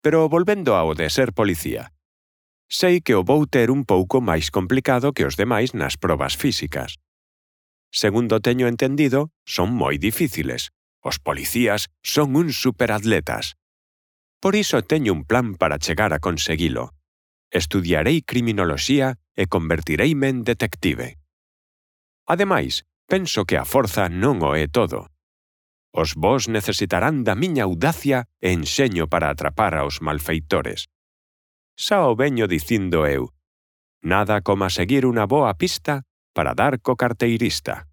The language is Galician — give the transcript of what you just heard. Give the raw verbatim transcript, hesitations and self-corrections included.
Pero volvendo ao de ser policía. Sei que o vou ter un pouco máis complicado que os demais nas probas físicas. Segundo teño entendido, son moi difíciles. Os policías son uns superatletas. Por iso teño un plan para chegar a conseguilo. Estudiarei criminoloxía e convertireime en detective. Ademais, penso que a forza non o é todo. Os vós necesitarán da miña audacia e enxeño para atrapar aos malfeitores. Xa o veño dicindo eu. Nada como seguir unha boa pista para dar co carteirista.